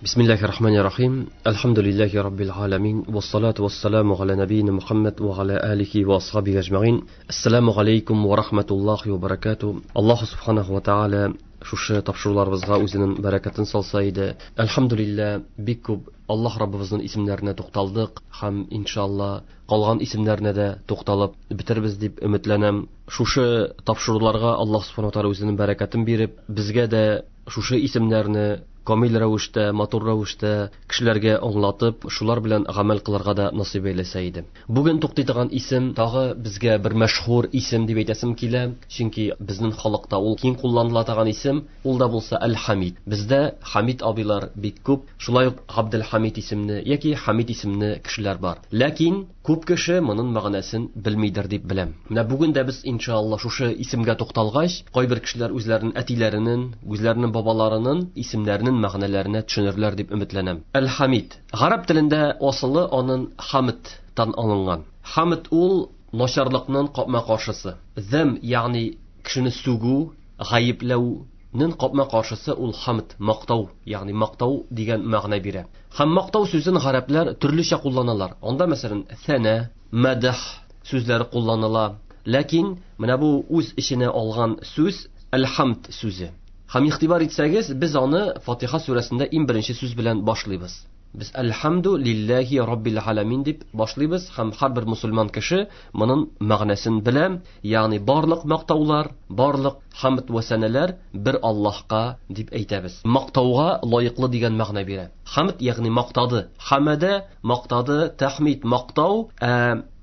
Бисмиллахи рахмани рахим. Әлхәмдүлилләһи раббил аламин. Вассалату вассаламу аля набийна Мухаммад ва аля алихи ва асхабихи ажмаин. Ассаламу алейкум ва рахматуллахи ва баракату. Аллаһу субханаху ва тааля шушы тапшыруларыбызга үзенең бәрәкәтен салса иде. Әлхәмдүлилләһ, бик күп Аллаһ Раббыбызның исемнәренә тукталдык һәм иншалла калган исемнәренә дә тукталып бетербез дип өметләнәм. Шушы тапшыруларга Аллаһ субханаху ва тааля үзенең бәрәкәтен биреп, безгә дә шушы исемнәрне камил рәвештә, матур рәвештә кешеләргә аңлатып, шулар белән гамәл кылырга да насыйп әйләсә иде. Бүген туктый торган исем тагы безгә бер мәшһүр исем дип әйтәсем килә, чөнки безнең халыкта ул киң кулланыла торган исем, ул да булса Әл-Хамид. Бездә Хамид абыйлар бик күп, шулай ук Габделхамид исемле яки Хамид исемле кешеләр бар. Ләкин күп кеше моның мәгънәсен белмидер дип беләм. Менә бүген дә без иншалла шушы исемгә тукталгач, кайбер кешеләр үзләренең әтиләренең, үзләренең бабаларының исемнәренең мәгънәләренә төшенерләр дип өметләнәм. Әл-Хамид. Гарәп телендә асылы аның Хамдтан алынган. Хамд ул начарлыкның капма-каршысы. Зәм, ягъни кешене сүгү, гаепләүнең капма-каршысы ул хамд, мактау, ягъни мактау дигән мәгънә бирә. Һәм мактау сүзен гарәпләр төрлечә кулланалар. Анда мәсәлән сәнә, мәдх сүзләре кулланыла. Ләкин менә бу үз эченә алган сүз әл-хамд сүзе. Һәм игътибар итсәгез, без аны Фатиха сүрәсендә иң беренче сүз белән башлыйбыз. Без Әлхәмду лилләһи раббил аламин дип башлыйбыз һәм һәрбер мусульман кеше моның мәгънәсен белә, ягъни барлык мактаулар, барлык хамд ва сәнәләр бер Аллаһка дип әйтәбез. Мактауга лаеклы дигән мәгънә бирә. Хамд ягъни мактады, хамада мактады, тахмид мактау,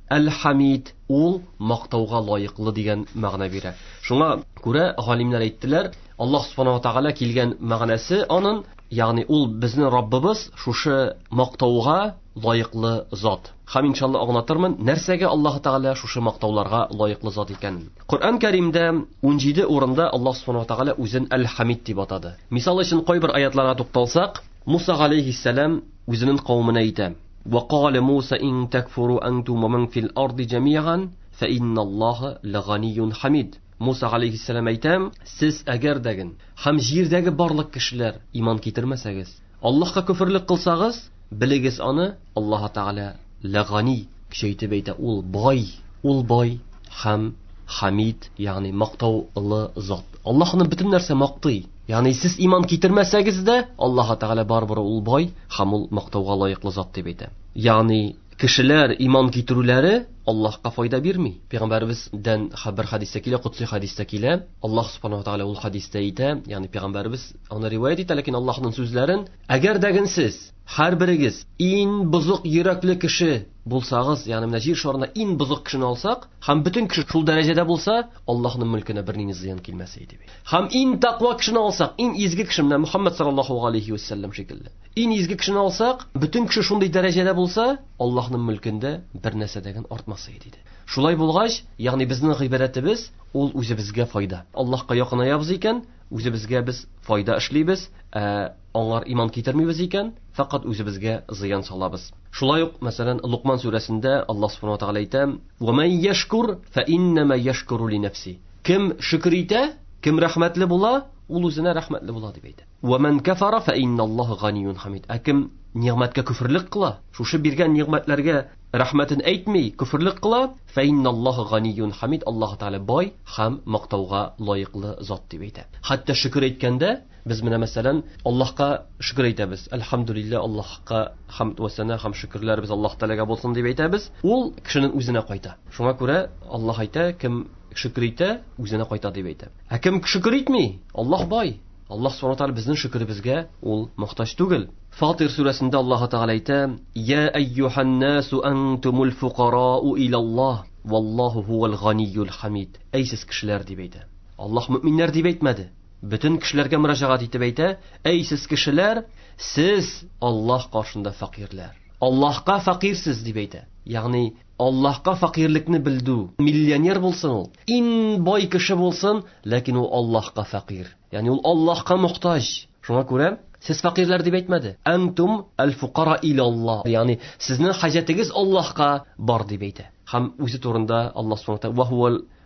Әл-Хамид ул мактауга лаеклы дигән мәгънә бирә. Шуңа күрә галимнәр әйттеләр, Аллаһ субхана ва тааля килгән мәгънәсе аның, ягъни ул безнең Раббыбыз, шушы мактауга лаеклы зат. Һәм иншалла аңлатырмын, нәрсәгә Аллаһ Тааля шушы мактауларга лаеклы зат икәнен. Коръән Кәримдә 17 урында Аллаһ субхана ва тааля үзен Әл-Хамид дип атады. Мисал өчен кайбер аятларга тукталсак, Муса алейхиссалам үзенең кавеменә әйтә: "Ва кала Муса ин такфуру антум ва ман фил арди джамиан фа инналлаһа лаганиюн хамид." Муса алейхиссалам әйтә: "Сез әгәр дәген һәм җирдәге барлык кешеләр иман китермәсәгез, Аллаһка күферлек кылсагыз, белегез аны, Аллаһ Тааля лагани көчәйтеп әйтә, ул бай, ул бай һәм хамид, ягъни мактаулы зат. Аллаһны бөтен нәрсә мактый. Ягъни сез иман китермәсәгез дә, Аллаһ Тааля барыбер ул бай һәм ул мактауга лаеклы зат дип әйтә. Ягъни кешеләр иман китерүләре Аллаһка файда бирми. Пәйгамбәребездән бер хәдистә килә, кудси хәдистә килә. Аллаһ субхана ва тааля ул хәдистә әйтә, ягъни пәйгамбәребез аны риваять итә, ләкин Аллаһның сүзләрен, әгәр дә сез һәрберегез иң бозык йөрәкле кеше булсагыз, ягъни менә җир шарында иң бозык кешене алсак, һәм бөтен кеше шул дәрәҗәдә булса, Аллаһның мөлкенә бернинди зыян килмәс иде. Һәм иң тәкъва кешене алсак, иң изге кеше менә Мухаммад саллаллаһу алейхи вәсәлләм шикелле. Иң изге кешене алсак, бөтен кеше шундый дәрәҗәдә булса, Аллаһның мөлкендә бер нәрсә дә артмас иде. Шулай булгач, ягъни безнең гыйбадәтебез ул үзебезгә файда. Аллаһка якынаябыз икән, үзебезгә без файда эшлибез, ә аңар иман китермибез икән, фақат үзебезгә зыян салабыз. Шулай ук, мәсәлән, Лукман сүрәсендә Аллаһ субхана ва тааля әйтә: "Ва ман яшкур фа иннама яшкуру ли нафси." Кем шөкер итә, кем рәхмәтле була, ул үзенә рәхмәтле була дип әйтә. Ва ман кафара фа инналлаһа ганиюн хамид. Ә кем нигъмәткә күферлек кыла, шушы биргән нигъмәтләргә рәхмәтен әйтми, күферлек кыла, фа инналлаһа ганиюн хамид. Аллаһ Тааля бай һәм мактауга лаеклы зат дип әйтә. Хәтта шөкер әйткәндә без менә мәсәлән Аллаһка шөкер әйтәбез. Әлхәмдүлилләһ, Аллаһка хамд ва сана һәм шөкерләребез Аллаһ Тааляга булсын дип әйтәбез. Ул кешенең үзенә кайта. Шуңа күрә Аллаһ әйтә, кем шөкер итә, үзенә кайта дип әйтә. Ә кем шөкер итми, Аллаһ бай. Аллаһ субхана тааля безнең шөкеребезгә ул мохтаҗ түгел. Фатир сүрәсендә Аллаһ Тааля әйтә: "Я әйюһан насу антумул фукарау илаллаһ, валлаһу хувал ганиюл хамид." Әй сез кешеләр дип әйтә. Аллаһ мөминнәр дип әйтмәде. Бөтен кешеләргә мөрәҗәгать итеп әйтә: "Әй сез кешеләр, сез Аллаһ каршында фәкыйрьләр. Аллаһка фәкыйрьсез" дип әйтә. Ягъни Аллаһка фәкыйрьлекне белдү. Миллионер булсын ул, иң бай кеше булсын, ләкин ул Аллаһка фәкыйрь. Ягъни ул Аллаһка мохтаҗ. Шуңа күрә сез фәкыйрьләр дип әйтмәде. Антум аль-фукара илаллаһ. Ягъни сезнең хаҗәтегез Аллаһка бар дип әйтә. Һәм үзе турында Аллаһ субхана ва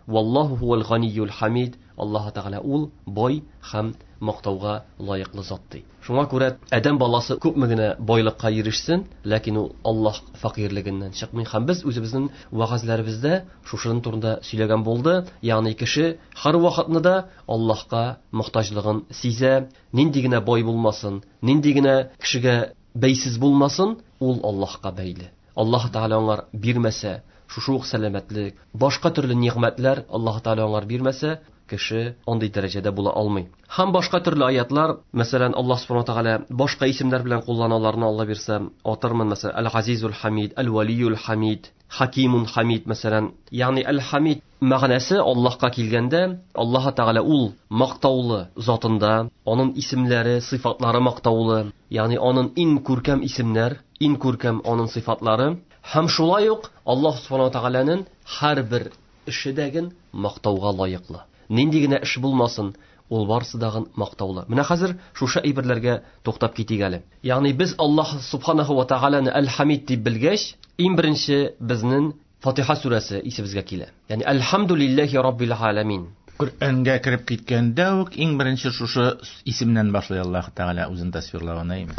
Валлаху хувал ганиюл хамид. Аллаһ Тәгалә ул бай һәм мактауга лаеклы зат ди. Шуңа күрә адәм баласы күпме генә байлыкка ирешсен, ләкин ул Аллаһ фәкыйрьлегеннән чыкмый. Һәм без үзебезнең вәгазьләребездә шушының турында сөйләгән булды. Ягъни кеше һәр вакытны да Аллаһка мохтаҗлыгын сизә, нинди генә бай булмасын, нинди генә кешегә бәйсез булмасын, ул Аллаһка бәйле. Аллаһ Тәгалә аңар бирмәсә, шушы ук сәламәтлек, башка төрле нигъмәтләр Аллаһ Тәгалә аңар бирмәсә, кеше андый дәрәҗәдә була алмый. Һәм башка төрле аятлар, мәсәлән, Аллаһ Субхану Тәгалә башка исемнәр белән куллана, аларны Алла бирсә, атырмын, мәсәлән, Әл-Газизул Хамид, Әл-Валиюл Хамид, Хакимун Хамид, мәсәлән. Ягъни Әл-Хамид мәгънәсе Аллаһка килгәндә, Аллаһ Тәгалә ул мактаулы затында, аның исемнәре, сыйфатлары мактаулы, ягъни аның иң күркәм исемнәр, иң күркәм аның сыйфатлары. Һәм шулай ук Аллаһ Субхану Тәгаләнең һәрбер эше дәген мактауга лаеклы. Нинди генә эш булмасын, ул барысы дагын мактаулы. Менә хәзер шушы әйберләргә туктап китик әле. Ягъни без Аллаһ Субханаһу ва Тәгаләне Әл-Хамид дип белгәч, иң беренче безнең Фатиха сүрәсе исебезгә килә. Ягъни Әлхәмдүлилләһи раббил аламин. Коръәнгә кереп киткәндә үк иң беренче шушы исемнән башлый Аллаһ Тәгалә үзен тасвирлавын, әйме?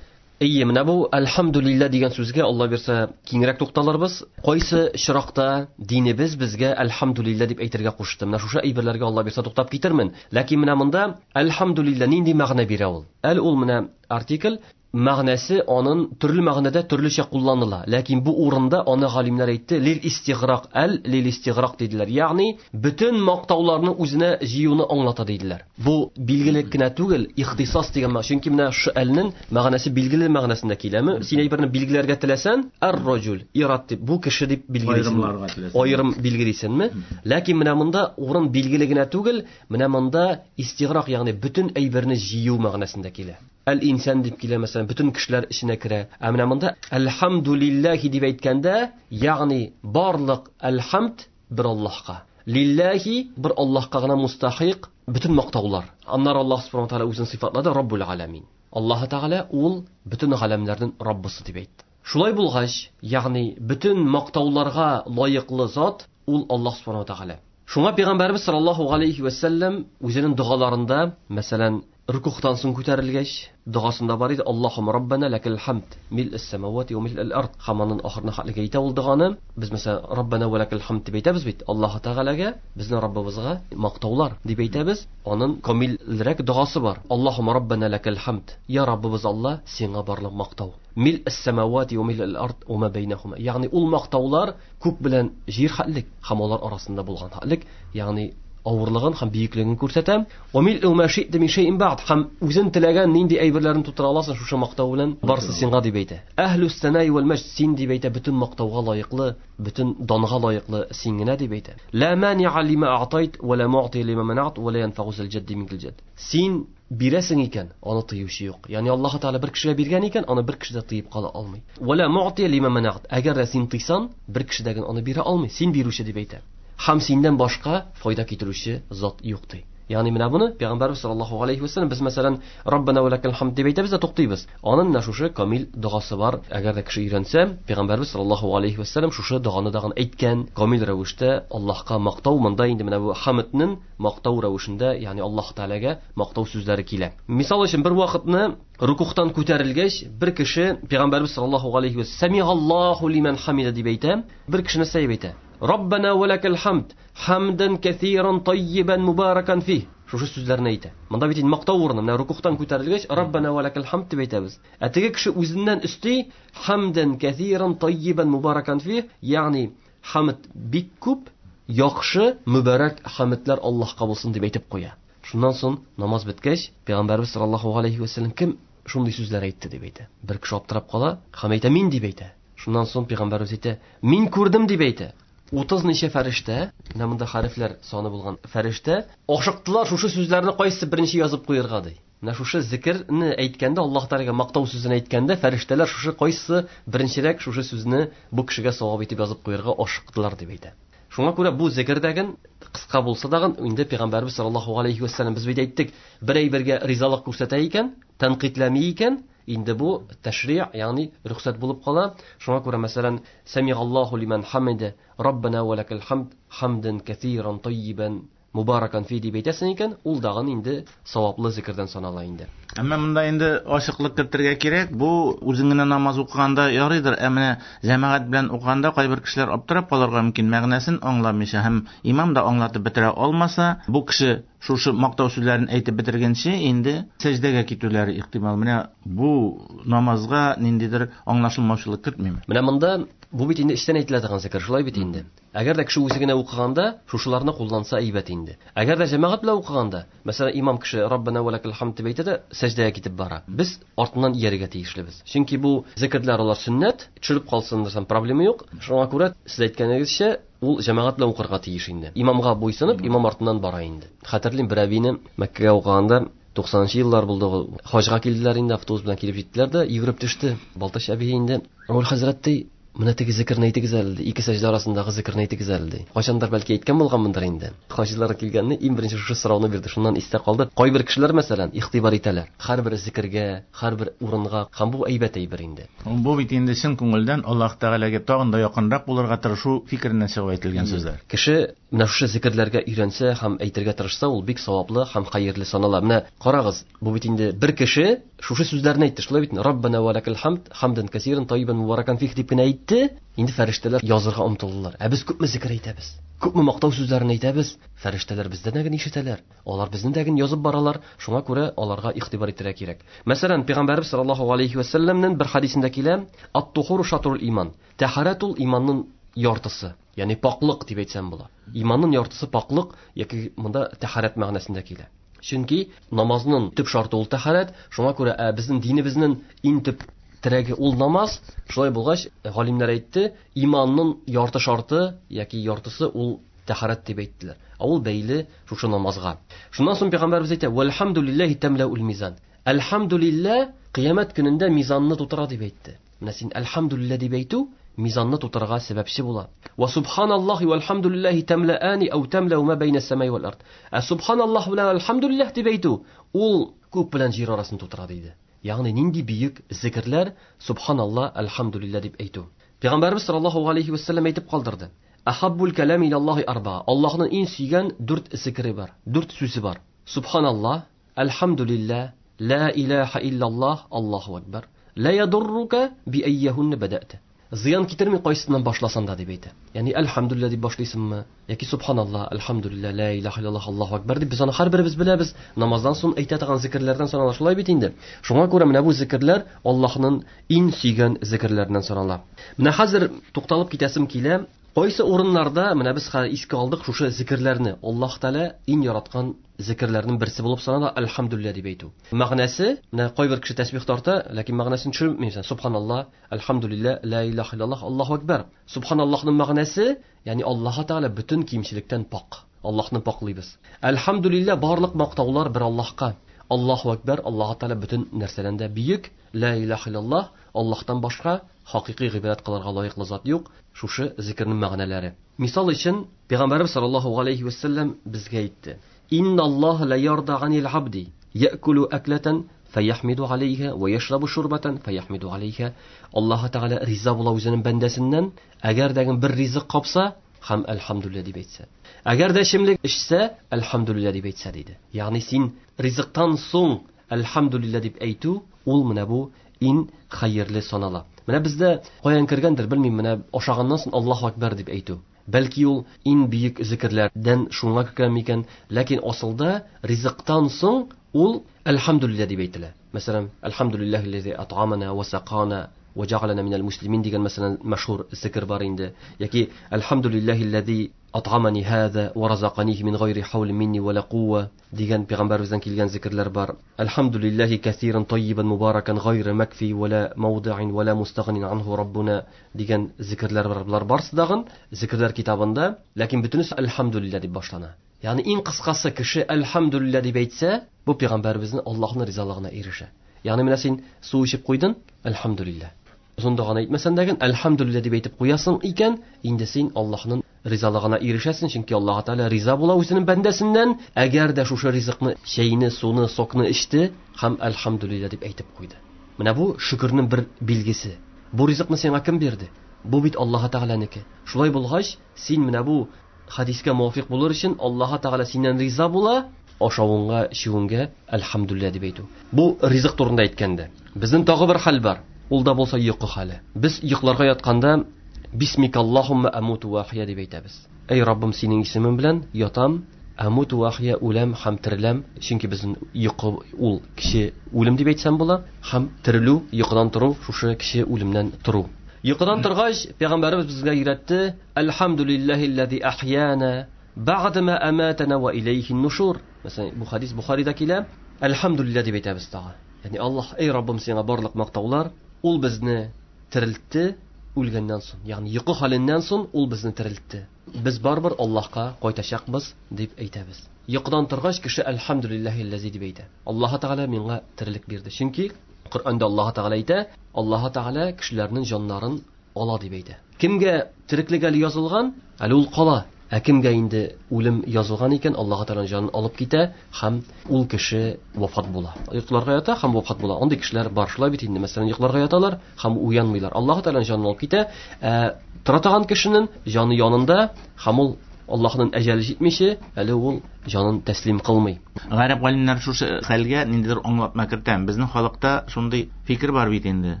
Әйе, менә бу әлхәмдүлилләһ дигән сүзгә Алла бирсә киңрәк тукталырбыз. Кайсы чиракта динебез безгә әлхәмдүлилләһ дип әйтергә кушты? Менә шушы әйберләргә Алла бирсә туктап китермен. Ләкин менә монда әлхәмдүлилләһ нинди мәгънә бирә ул? Әл ул менә артикль, мәгънәсе анын төрле мәгънәдә төрлечә кулланыла. Ләкин бу урында аны галимнәр әйтте, лил истиграк, әл лил истиграк диделәр. Ягъни бөтен мактауларны үзенә җыюны аңлата диделәр. Бу билгеле кенә түгел, ихтисас дигән мәгънә. Чөнки менә шу әлнең мәгънәсе билгеле мәгънәсендә киләме? Син әйберне билгеләргә теләсән, ар-раҗул, ират дип, бу кеше дип билгелисең. Аерымларга теләсәң. Аерым билгелисеңме? Ләкин менә монда урын билгеле генә түгел, менә монда истиграк, ягъни бөтен әйберне җыю мәгънәсендә килә. Әл-инсан дип килә, мәсәлән, бөтен кешеләр эченә керә. Ә менә монда әлхәмдүлилләһи дип әйткәндә, ягъни барлык әлхәмд бер Аллаһка. Лилләһи бер Аллаһка гына мустахик бөтен мактаулар. Аннары Аллаһ Субхану ва Тааля үзен сыйфатлады Раббул Аламин. Аллаһ Тааля ул бөтен галәмнәрнең Раббысы дип әйтте. Шулай булгач, ягъни бөтен мактауларга лаеклы зат ул Аллаһ Субхану ва Тааля. Шуңа Пәйгамбәрбез саллаллаһу алейхи ва сәлләм үзенең догаларында, мәсәлән, рукухтан соң күтәрелгәч, догасында бар иде, Аллаһумма раббана лакал хамд, мил'ас самавати ва мил'ал ард. Һәм аның ахырына хәтлегә әйтә ул доганы. Без мәсәлән, Раббана ва лакал хамд дип әйтәбез бит. Аллаһ Тәгаләгә, безнең Раббыбызга мактаулар дип әйтәбез. Аның камилрәк догасы бар. Аллаһумма раббана лакал хамд. Я Раббыбыз Аллаһ, сиңа барлык мактау. Мил'ас самавати ва мил'ал ард ва ма бәйнәһума. Ягъни ул мактаулар күк белән җир хәтлек һәм алар арасында булган хәтлек, ягъни авырлыгын һәм бөеклеген күрсәтә. Ва мил'у ма ши'та мин шәй'ин бa'д. Һәм үзен теләгән нинди әйберләрен тутыра аласың шушы мактау белән, барысы сиңа дип әйтә. Әһлүс санаи вәл мәҗд, син дип әйтә, бөтен мактауга лаеклы, бөтен данга лаеклы син генә дип әйтә. Ла мани'a лима a'тайт ва ла му'ти лима манa'т ва ла янфa'у зал җадди минкал җадд. Син бирәсең икән, аны тыючы юк. Ягъни Аллаһ Тәгалә бер кешегә биргән икән, аны бер кеше дә тыеп кала алмый. Ва ла му'ти лима манa'т. Әгәр дә син тыйсаң, бер кеше дә аны бирә алмый. Син бирүче дип әйтә. Һәм синнән башка файда китерүче зат юк ди. Ягъни менә моны Пәйгамбәрбез саллаллаһу алейхи ва сәлләм без мәсәлән Раббана ва лакал хамд дип әйтәбез дә туктыйбыз. Аның менә шушы камил догасы бар. Әгәр дә кеше өйрәнсә, Пәйгамбәрбез саллаллаһу алейхи ва сәлләм шушы доганы дагын әйткән камил рәвештә Аллаһка мактау монда инде менә бу хамдның мактау рәвешендә, ягъни Аллаһ Тәгаләгә мактау сүзләре килә. Мисал өчен бер вакытны рукухтан күтәрелгәч, бер кеше Пәйгамбәрбез саллаллаһу алейхи ва сәлләм Самигаллаһу лиман хамида дип әйтә. Бер кеше нәрсә дип әйтә? Раббана ва лакал хамд, хамдан кәсиран таййибан мубаракан фих. Шушы сүзләрне әйтә. Монда бит инде мактау урыны. Менә рукухтан күтәрелгәч, Раббана ва лакал хамд дип әйтәбез. Ә теге кеше үзеннән өсти хамдан кәсиран таййибан мубаракан фих, ягъни хамд бик күп, яхшы, мөбарәк хамдлар Аллаһка булсын дип әйтеп куя. Шуннан соң намаз беткәч, Пәйгамбәрбез саллаллаһу алейхи ва сәлләм кем шундый сүзләр әйтте дип әйтә. Бер кеше аптырап кала, һәм әйтә мин дип әйтә. Шуннан соң Пәйгамбәрбез әйтә, мин күрдем дип әйтә. 30 ничә фәрештә, менә монда хәрефләр саны булган фәрештә, ашыктылар шушы сүзләрне кайсы беренче язып куярга ди. Менә шушы зикерне әйткәндә, Аллаһ Тәгаләгә мактау сүзен әйткәндә, фәрештәләр шушы кайсы беренчерәк шушы сүзне бу кешегә савап итеп язып куярга ашыктылар дип әйтә. Шуңа күрә бу зикердәген кыска булса дагын, инде Пәйгамбәрбез саллаллаһу алейхи ва сәлләм без бит әйттек, бер әйбергә ризалык күрсәтә икән, тәнкыйтьләми икән, инде бу тәшри', ягъни рөхсәт булып кала. Шуңа күрә, мәсәлән, Самигаллаһу лиман хамида, Раббана ва лакал хамд, хамдан кәсиран таййибан мубаракан фи дип әйтәсең икән, ул дагын инде саваплы зикердән санала инде. Әмма монда инде ачыклык кертергә кирәк, бу үзең генә намаз укыганда ярыйдыр, ә менә җәмәгать белән укыганда кайбер кешеләр аптырап калырга мөмкин, мәгънәсен аңламыйча һәм имам да аңлатып бетерә алмаса, бу кеше шушы мактау сүзләрен әйтеп бетергәнче инде сәҗдәгә китүләре ихтимал. Менә бу намазга ниндидер аңлашылмаучылык кертмиме? Менә монда бу бит инде эчтән әйтелә торган зикер, шулай бит инде. Әгәр дә кеше үзе генә укыганда, шушыларны кулланса әйбәт инде. Әгәр дә җәмәгать белән укыганда, мәсәлән, имам кеше Раббана ва лакал хамд дип әйтә дә сәҗдәгә китеп бара. Без артыннан иярергә тиешлебез. Чөнки бу зикерләр алар сөннәт, төшереп калсын дисәм проблема юк. Шуңа күрә сез әйткәнегезчә, ул җәмәгать белән укырга тиеш инде. Имамга буйсынып, имам артыннан бара инде. Хәтерлим, бер әбине Мәккәгә укыганда 90 еллар булды ул. Хаҗга килделәр инде, автобус белән килеп җиттеләр дә, йөгереп төште. Балтач әби инде. Ул хәзрәт ди, менә теге зикерне әйтегез әле, ди, ике сәҗдә арасындагы зикерне әйтегез әле, ди. Кайчандыр бәлки әйткән булганмындыр инде. Хаҗилар килгәнне иң беренче шушы сорауны бирде. Шуннан истә калды. Кайбер кешеләр, мәсәлән, игътибар итәләр. Һәрбер зикергә, һәрбер урынга, һәм бу әйбәт әйбер инде. Бу бит инде чын күңелдән Аллаһ Тәгаләгә тагын да якынрак булырга тырышу фикереннән чыгып әйтелгән сүзләр. Кеше менә шушы зикерләргә өйрәнсә һәм әйтергә тырышса, ул бик саваплы һәм хәерле санала. Менә карагыз, бу бит инде бер кеше шушы сүзләрне әйтте, шулай бит? Раббана ва лакал хамд, хамдан касиран таййибан мубаракан фих дип кенә әйтте. Инде фәрештәләр язырга омтылдылар. Ә без күпме зикер әйтәбез? Күпме мактау сүзләрен әйтәбез? Фәрештәләр бездән дә генә ишетәләр. Алар безне дә генә язып баралар. Шуңа күрә аларга игътибар итәргә кирәк. Мәсәлән, Пәйгамбәрбез саллаллаһу алейхи ва сәлләмнең бер хадисендә килә: Ат-тухуру шатрул иман. Тәһарәт ул иманның яртысы. Ягъни паклык дип әйтсәм була. Иманның яртысы паклык яки монда тәһарәт мәгънәсендә килә. Чөнки намазның төп шарты ул тәһарәт, шуңа күрә безнең динебезнең иң төп терәге ул намаз. Шулай булгач, галимнәр әйтте, иманның ярты шарты яки яртысы ул тәһарәт дип әйттеләр. Ә ул бәйле шушы намазга. Шуннан соң пәйгамбәрбез әйтә: "Вәлхамдулиллаһи тамлаул мизан." Әлхамдулилла кыямәт көнендә мизанны тутыра дип әйтте. Менә син әлхамдулилла дип әйтү мизанны тутырырга сәбәпче була. Ва субханаллаһи вәлхамдулиллаһи тамлаани ау тамлау ма байна самай вал ард. Ә субханаллаһ белән әлхамдулиллаһ дип әйтү ул күк белән җир арасын тутыра диде. Ягъни нинди бөек зикерләр субханаллаһ әлхамдулиллаһ дип әйтү. Пәйгамбәрбез саллаллаһу алейхи ва саллям әйтеп калдырды. Ахаббул калам илаллаһи арба. Аллаһның иң сөйгән дүрт зикере бар, дүрт сүзе бар. Субханаллаһ, әлхамдулиллаһ, ла илаһа иллаллаһ, Аллаһу акбар. Ла ядуррука би айяһунна бадата. Зыян китерми кайсыннан башласаң да дип әйтә. Ягъни әлхамдулилла дип башлыйсыңмы яки субханаллаһ, әлхамдулилла, ла илаһа иллаллаһ, Аллаһу акбар дип без аны һәрберебез беләбез. Намаздан соң әйтә торган зикерләрдән санала, шулай бит инде. Шуңа күрә менә бу зикерләр Аллаһның иң сөйгән зикерләреннән санала. Менә хәзер тукталып китәсем килә. Кайсы урыннарда менә без хәзер искә алдык шушы зикерләрне. Аллаһ Тәгалә иң яраткан зикерләрнең берсе булып санала әлхамдулилла дип әйтү. Мәгънәсе, менә кайбер кеше тәсбих тарта, ләкин мәгънәсен төшермисең. Субханаллаһ, әлхамдулилла, ла илаһа иллаллаһ, Аллаһу акбар. Субханаллаһның мәгънәсе, ягъни Аллаһ Тәгалә бөтен кимчелектән пак. Аллаһны паклыйбыз. Әлхамдулилла, барлык мактаулар бер Аллаһка. Аллаһу акбар, Аллаһ Тәгалә бөтен нәрсәдән дә бөек. Ла илаһа иллаллаһ, Аллаһтан башка хакыйкый гыйбадәт кылырга лаеклы зат юк. Шушы зикернең мәгънәләре. Мисал өчен, Пәйгамбәрбез саллаллаһу алейхи ва саллям безгә әйтте: Инналлаһа ла ярда анил абди яъкулу аклатан фаяхмиду алейха ва яшрабу шурбатан фаяхмиду алейха. Аллаһ Тәгалә риза була үзенең бәндәсеннән, әгәр дә бер ризык капса һәм әлхамдулилла дип әйтсә. Әгәр дә эчемлек эчсә, әлхамдулилла дип әйтсә диде. Ягъни син ризыктан соң әлхамдулилла дип әйтү, ул менә бу иң хәерле санала. Менә бездә каян кергәндер белмим, менә ашаганнан соң Аллаһу акбар дип әйтү. Бәлки ул иң бөек зикерләрдән шуңа кергән микән, ләкин асылда ризыктан соң ул әлхамдулилла дип әйтелә. Мәсәлән, әлхамдулиллаһи ат'амана ва сақана ва җәгаләнә минәл муслимин дигән мәсәлән мәшһүр зикер бар инде. Яки әлхамдулиллаһи ат'амани һаза ва разаканихи мин гайри хавлин минни ва ла кувва дигән пәйгамбәребездән килгән зикерләр бар. Әлхамдулиллаһи кәсиран таййибан мубаракан гайра макфи ва ла мавди'ин ва ла мустагнин анху раббуна дигән зикерләр бар. Булар барсы дагын зикерләр китабында, ләкин бөтенесе әлхамдулилла дип башлана. Ягъни иң кыскасы кеше әлхамдулилла дип әйтсә, бу пәйгамбәребезнең Аллаһның ризалыгына ирешә. Ягъни менә син су эчеп куйдың, әлхамдулилла. Озын доганы әйтмәсәң дә, әлхамдулилла дип әйтеп куясың икән, инде син Аллаһның ризалыгына ирешәсең, чөнки Аллаһ Тәгалә риза була үзенең бәндәсеннән, әгәр дә шушы ризыкны, чәйне, суны, сокны эчте һәм әлхамдулилла дип әйтеп куйды. Менә бу шөкернең бер билгесе. Бу ризыкны сиңа кем бирде? Бу бит Аллаһ Тәгаләнеке. Шулай булгач, син менә бу хадискә муафик булыр өчен Аллаһ Тәгалә синнән риза була, ашавыңга, эчүеңгә әлхәмдүлилләһ дип әйтү. Бу ризык турында әйткәндә. Безнең тагы бер хәл бар. Ул да булса йокы хәле. Без йокларга ятканда Бисмикаллаһумма амуту ва ахья дип әйтәбез. Эй Раббым, синең исемең белән ятам, амуту ва ахья, үләм һәм тереләм. Чөнки безнең йокы ул кеше үлем дип әйтсәм була, һәм терелү, йокыдан тору, шушы кеше үлемнән тору. Йокыдан торгач, пәйгамбәребез безгә өйрәтте: Әлхәмдүлиллаһилләзи ахьяна бәгъдә ма аматана ва иләйһин нушур. Мәсәлән, бу хадис Бухарида килә. Әлхәмдүлилләһ дип әйтәбез тагы. Ягъни Аллаһ, эй Раббым, сиңа барлык мактаулар, ул безне терелтте үлгәннән соң, ягъни йокы хәленнән соң ул безне терелтте. Без барыбер Аллаһка кайтачакбыз дип әйтәбез. Йокыдан торгач кеше әлхәмдүлиллаһилләзи дип әйтә. Аллаһ Тәгалә миңа терелек бирде. Чөнки Коръәндә Аллаһ Тәгалә әйтә, Аллаһ Тәгалә кешеләрнең җаннарын ала дип әйтә. Кемгә тереклек әле язылган, әле ул кала. Ә кемгә инде үлем язылган икән, Аллаһ Тәгалә җанын алып китә һәм ул кеше вафат була. Йокларга ята һәм вафат була. Андый кешеләр бар. Шулай бит инде, мәсәлән, йокларга яталар һәм уянмыйлар. Аллаһ Тәгалә җанын алып китә. Ә тора торган кешенең җаны янында һәм ул Аллаһның әҗәле җитмичә, әле ул җанын тәслим кылмый. Гарәп галимнәре шушы хәлгә ниндидер аңлатма кертә. Безнең халыкта шундый фикер бар бит инде.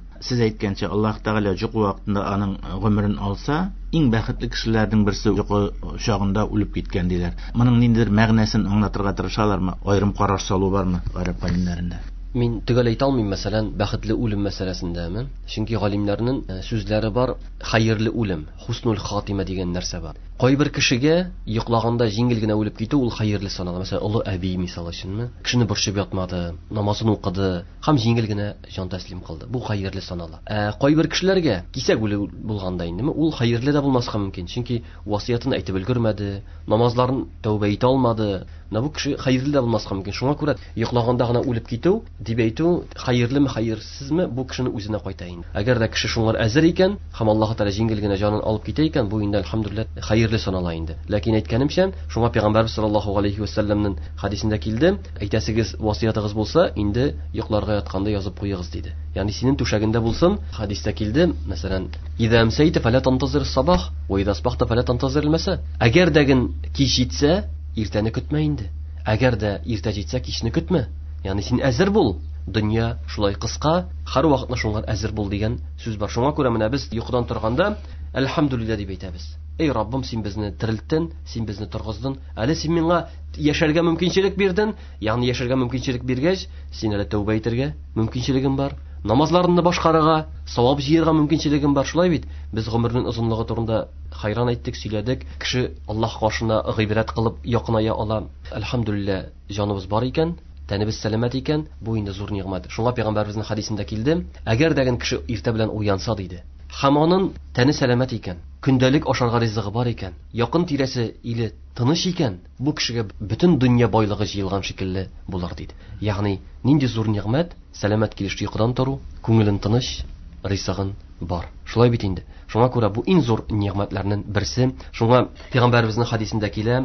Сез әйткәнчә, Аллаһ Тәгалә йокы вакытында аның гомерен алса, иң бәхетле кешеләрнең берсе йокы чагында үлеп киткән диләр. Моның ниндидер мәгънәсен аңлатырга тырышалармы? Аерым караш салу бармы гарәп галимнәрендә? Мин төгәл әйтә алмыйм, мәсәлән, бәхетле үлем мәсьәләсендәме? Чөнки галимнәрнең сүзләре бар, хәерле үлем, хуснуль хатима дигән нәрсә бар. Кайбер кешегә йоклаганда җиңел генә үлеп китү ул хәерле санала. Мәсәлән, олы әби мисал өченме? Кешене борчып ятмады, намазын укыды һәм җиңел генә җан тәслим кылды. Бу хәерле санала. Ә кайбер кешеләргә кисәк үле булганда индеме, ул хәерле дә булмаска мөмкин. Чөнки васыятын әйтеп өлгермәде, намазларын тәүбә итә алмады. Менә бу кеше хәерле дә булмаска мөмкин. Шуңа күрә йоклаганда гына үлеп китү дип әйтү хәерлеме, хәерсезме, бу кешенең үзенә кайта инде. Әгәр дә кеше шуңар әзер икән һәм Аллаһ Тәгалә җиңел генә җанын алып китә икән, бу инде әлхәмдүлилләһ хәерле санала инде. Ләкин әйткәнемчә, шуңа Пәйгамбәрбез саллаллаһу алейхи ва сәлләмнең хадисендә килде, әйтәсегез васыятыгыз булса, инде йокларга ятканда язып куегыз диде. Ягъни синең түшәгендә булсын, хадистә килде, мәсәлән, «Иза амсайта фала тантазир сабах, ва иза асбахта фала тантазир маса». Әгәр дә ген кич җитсә, иртәне көтмә инде. Әгәр дә иртә җитсә, кичне көтмә. Ягъни син әзер бул. Дөнья шулай кыска, һәр вакытны шуңа әзер бул дигән сүз бар. Шуңа күрә менә без йокыдан торганда әлхәмдүлилләһ дип әйтәбез. Эй Раббым, син безне терелттең, син безне торгыздың. Әле син миңа яшәргә мөмкинчелек бирдең. Ягъни яшәргә мөмкинчелек биргәч, син әле тәүбә итәргә мөмкинчелегең бар. Намазларыңны башкарырга, савап җыярга мөмкинчелегең бар. Шулай бит? Без гомернең озынлыгы турында хайран әйттек, сөйләдек. Кеше Аллаһ каршына гыйбрәт кылып якыная ала. Әлхәмдүлилләһ, җаныбыз бар икән, тәнебез сәламәт икән, бу инде зур нигъмәт. Шуңа пәйгамбәребезнең хадисендә килде, әгәр дә кеше иртә белән уянса диде, һәм аның тәне сәламәт икән, көндәлек ашарга ризыгы бар икән, якын тирәсе иле тыныч икән, бу кешегә бөтен дөнья байлыгы җыелган шикелле булыр диде. Ягъни нинди зур нигъмәт, сәламәт килеш йокыдан тору, күңелен тыныч, ризыгын бар. Шулай бит инде. Шуңа күрә бу иң зур нигъмәтләрнең берсе. Шуңа пәйгамбәребезнең хадисендә килә,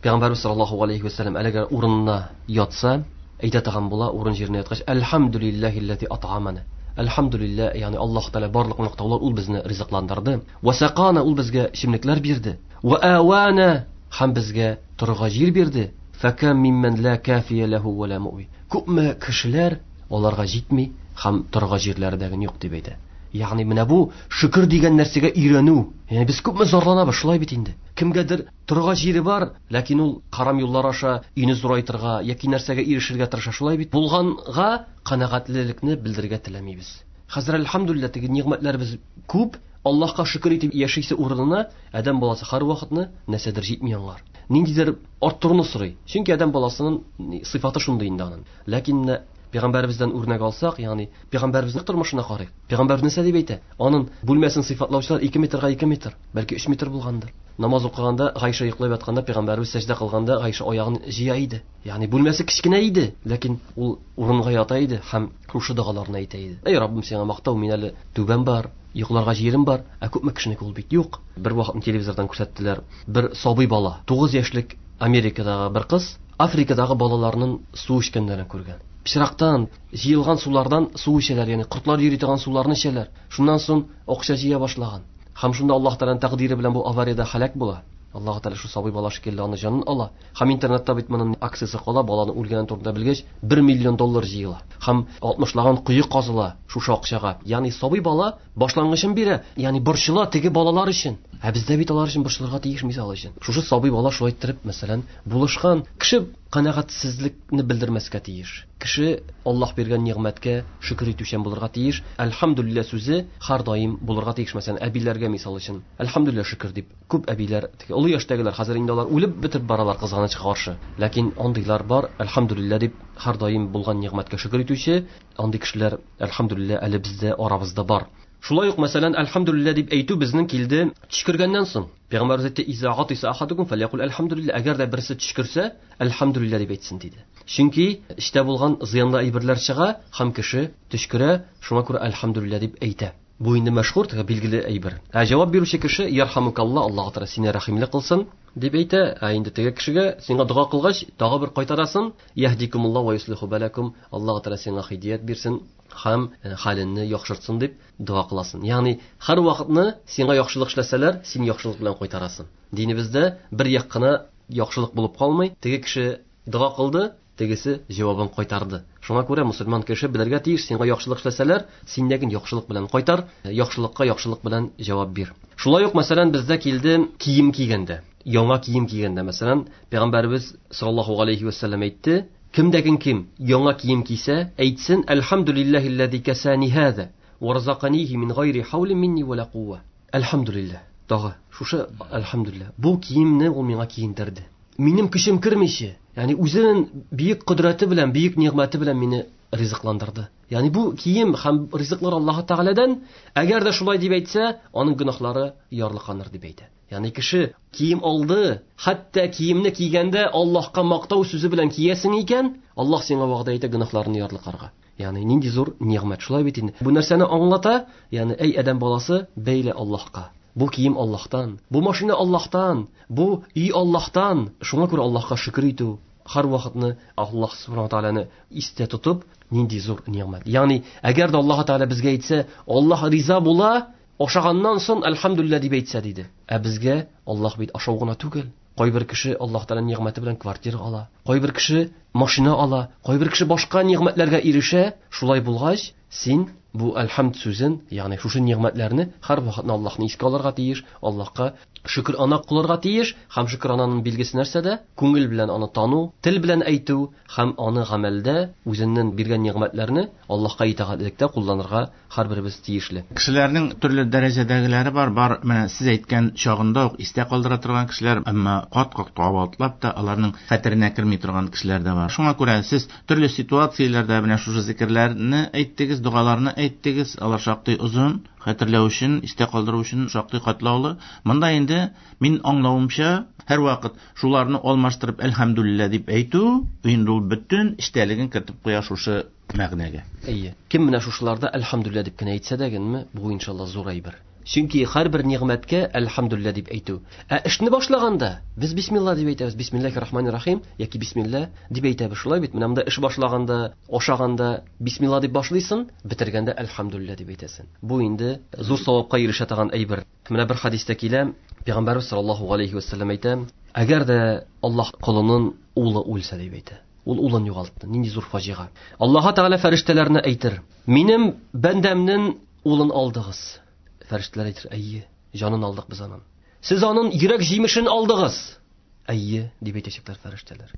Пәйгамбәрбез саллаллаһу алейхи ва сәлләм әлеге урынына ятса, әйтә торган була, урын җиренә яткач, Әлхәмдүлиллаһилләзи ат'амана. Әлхәмдүлиллаһ, ягъни Аллаһ Тәгалә барлык мактаулар ул безне ризыкландырды. Ва сакана, ул безгә эчемлекләр бирде. Ва авана, һәм безгә торырга җир бирде. Факам миммән ла кафия ләһу ва ла муи. Күпме кешеләр аларга җитми һәм торырга җирләре дә юк дип әйтә. Ягъни менә бу шөкер дигән нәрсәгә өйрәнү. Ягъни без күпме зарланабыз, шулай бит инде. Кемгәдер торырга җире бар, ләкин ул харам юллар аша өйне зурайтырга яки нәрсәгә ирешергә тырыша, шулай бит. Булганга канәгатьлелекне белдерергә теләмибез. Хәзер әлхәмдүлилләһ теге нигъмәтләребез күп, Аллаһка шөкер итеп яшисе урынына адәм баласы һәр вакытны нәрсәдер җитми аңар. Ниндидер арттыруны сорый. Чөнки адәм баласының сыйфаты шундый инде аның. Ләкин менә пәйгамбәребездән үрнәк алсак, ягъни пәйгамбәребезнең тормышына карыйк. Пәйгамбәр нәрсә дип әйтә? Аның бүлмәсен сыйфатлаучылар 2 метрга 2 метр, бәлки 3 метр булгандыр. Намаз укыганда, Гайша йоклап ятканда, пәйгамбәребез сәҗдә кылганда, Гайша аягын җыя иде. Ягъни бүлмәсе кечкенә иде, ләкин ул урынга ята иде һәм шушы догаларны әйтә иде. Эй Раббым, сиңа мактау, мин әле түбәм бар, йокларга җирем бар, ә күпме кешенеке ул бит юк. Бер вакытны телевизордан күрсәттеләр, бер сабый бала, 9 яшьлек Америкадагы бер кыз Африкадагы балаларның су эчкәннәрен күргән. Пычрактан, җыелган сулардан су эчәләр, ягъни кортлар йөри торган суларны эчәләр. Шуннан соң акча җыя башлаган. Һәм шунда Аллаһ Тәгаләнең тәкъдире белән бу авариядә һәлак була. Аллаһ Тәгалә шу сабый бала шикелле аны җанын ала. Һәм интернетта бит моның акциясе кала, баланы үлгән турында белгәч, 1 миллион доллар җыела. Һәм 60лаган кое казыла шушы акчага. Ягъни сабый бала башлангычын бирә, ягъни борчыла теге балалар өчен. Ә бездә бит алар өчен борчылырга тиеш, мисал өчен. Шушы сабый бала шулай иттереп, мәсәлән, булышкан. Кеше канәгатьсезлекне белдермәскә тиеш. Кеше Аллаһ биргән нигъмәткә шөкер итүчән булырга тиеш. Әлхәмдүлилләһ сүзе һәр даим булырга тиеш. Мәсәлән, әбиләргә мисал өчен, әлхәмдүлилләһ шөкер дип. Күп әбиләр, теге олы яшьтәгеләр, хәзер инде алар үлеп бетеп баралар кызганычка каршы. Ләкин андыйлар бар, әлхәмдүлилләһ дип һәр даим булган нигъмәткә шөкер итүче, андый кешеләр әлхәмдүлилләһ әле бездә арабызда бар. Шулай ук, мәсәлән, әлхәмдүлилләһ дип әйтү безнең килде төчкергәннән соң. Пәйгамбәрбез әйтте, Иза гатиса ахадукум фәлякул әлхәмдүлилләһ. Әгәр дә берсе төчкерсә, әлхәмдүлилләһ дип әйтсен диде. Чөнки эчтә булган зыянлы әйберләр чыга һәм кеше төчкерә, шуңа күрә әлхәмдүлилләһ дип әйтә. Бу инде мәшһүр, теге билгеле әйбер. Ә җавап бирүче кеше ярхамукалла, Аллаһ Тәгалә сине рәхимле кылсын дип әйтә. Ә инде теге кешегә сиңа дога кылгач, тагы бер кайтарасын, яһдикумулла ва юслиху балакум, Аллаһ Тәгалә сиңа һидият бирсен һәм хәлеңне яхшыртсын дип дога кыласың. Ягъни һәр вакытны сиңа яхшылык эшләсәләр, син яхшылык белән кайтарасың. Динебездә бер як кына яхшылык булып калмый. Теге кеше дога кылды, тегесе җавабын кайтарды. Шуңа күрә мусульман кеше белергә тиеш, сиңа яхшылык эшләсәләр, син дә яхшылык белән кайтар, яхшылыкка яхшылык белән җавап бир. Шулай ук, мәсәлән, бездә килде кием кигәндә, яңа кием кигәндә, мәсәлән, Пәйгамбәрбез саллаллаһу алейхи ва саллям әйтте, кемдәген кем яңа кием кисә, әйтсен, әлхәмдүлилләһилләзи кәсәни һаза ва разаканихи мин гайри хаулин минни ва ла кува. Әлхәмдүлилләһ. Тагы шушы әлхәмдүлилләһ. Бу киемне ул миңа киендерде. Минем көчем кермичә, ягъни үзенең бөек кодрәте белән, бөек нигъмәте белән мине ризыкландырды. Ягъни бу кием һәм ризыклар Аллаһ Тәгаләдән, әгәр дә шулай дип әйтсә, аның гөнаһлары ярлыканыр дип әйтә. Ягъни кеше кием алды, хәтта киемне кигәндә Аллаһка мактау сүзе белән киясең икән, Аллаһ сиңа вәгъдә итә гөнаһларны ярлыкарга. Ягъни нинди зур нигъмәт, шулай бит инде. Бу нәрсәне аңлата, ягъни әй адәм баласы, бәйле Аллаһка. Бу кием Аллаһтан, бу машина Аллаһтан, бу өй Аллаһтан. Шуңа күрә Аллаһка шөкер итү, һәр вакытны Аллаһ субхана тааляны истә тотып, нинди зур нигъмәт. Ягъни, әгәр дә Аллаһ Тааля безгә әйтсә, Аллаһ риза була, ашаганнан соң әлхәмдүлилләһ дип әйтсә диде. Ә безгә Аллаһ бит ашау гына түгел. Кайбер кеше Аллаһ Тааляның нигъмәте белән квартира ала, кайбер кеше машина ала, кайбер кеше башка нигъмәтләргә ирешә. Шулай булгач, син бу әлхәмд сүзен, ягъни шушы нигъмәтләрне һәр вакытны Аллаһны искә алырга тиеш, Аллаһка шөкер ана кылырга тиеш. Һәм шөкер ананың билгесе нәрсәдә? Күңел белән аны тану, тел белән әйтү һәм аны гамәлдә үзеннән биргән нигъмәтләрне Аллаһка итагатьлектә кулланырга һәрберебез тиешле. Кешеләрнең төрле дәрәҗәдәгеләре бар, бар менә сез әйткән чагында ук истә калдыра торган кешеләр, әмма кат-кат кабатлап та аларның хәтеренә керми торган кешеләр дә бар. Шуңа күрә сез төрле ситуацияләрдә менә шушы зикерләрне әйттегез, догаларны әйттегез, алар шактый озын, хәтерләү өчен, истә калдыру өчен шактый катлаулы. Монда инде мин аңлавымча, һәр вакыт шуларны алмаштырып әлхәмдүлилләһ дип әйтү, инде ул бөтен эчтәлеген кертеп куя шушы мәгънәгә. Әйе. Кем менә шушыларда әлхәмдүлилләһ дип кенә әйтсә дә генме, бу иншалла зур әйбер. Чөнки һәрбер нигъмәткә әлхәмдүлилләһ дип әйтү. Ә эшне башлаганда без бисмилла дип әйтәбез, бисмиллаһир рахманир рахим яки бисмилла дип әйтәбез. Шулай бит, менә монда эш башлаганда, ашаганда бисмилла дип башлыйсың, бетергәндә әлхәмдүлилләһ дип әйтәсең. Бу инде зур савапка ирешә торган әйбер. Менә бер хадистә килә, Пәйгамбәрбез саллаллаһу алейхи ва саллям әйтә, әгәр дә Аллаһ колының улы үлсә дип әйтә. Ул улын югалтты. Нинди зур фаҗига. Аллаһ Тәгалә фәрештәләренә әйтер: "Минем бәндәмнең улын алдыгыз." Фәрештәләр әйтер: "Әйе, җанын алдык без аның." Сез аның йөрәк җимешен алдыгыз. Әйе, дип әйтәчәкләр фәрештәләр.